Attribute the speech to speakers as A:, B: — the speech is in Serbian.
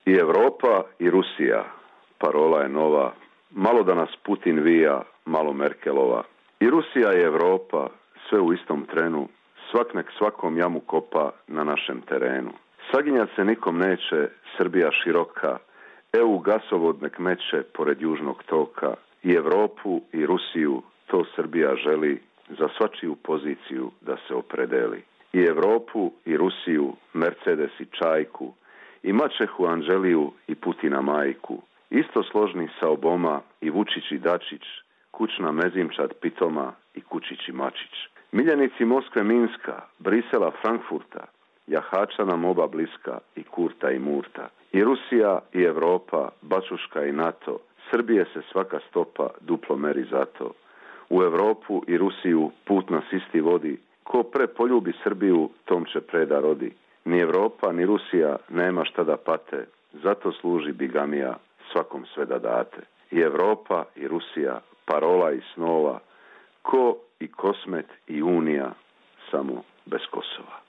A: I Europa i Rusija, parola je nova, malo da nas Putin vija, malo Merkelova. I Rusija i Europa, sve u istom trenu, svak nek svakom jamu kopa na našem terenu. Saginjat se nikom neće, Srbija široka, EU gasovod nek meće pored južnog toka. I Europu i Rusiju, to Srbija želi, za svačiju poziciju da se opredeli. I Europu i Rusiju, Mercedes i Čajku, i mačehu Anđeliju i Putina majku, isto složni sa Oboma i Vučić i Dačić, kućna mezimčad pitoma i Kučić i Mačić. Miljenici Moskve Minska, Brisela Frankfurta, jahača nam oba bliska i Kurta i Murta. I Rusija i Europa, Bačuška i NATO, Srbije se svaka stopa duplo meri zato. U Europu i Rusiju put nas isti vodi, ko pre poljubi Srbiju, tom će preda rodi. Ni Europa, ni Rusija nema šta da pate, zato služi bigamija, svakom sve da date. I Europa i Rusija, parola i snova, ko i Kosmet i Unija, samo bez Kosova.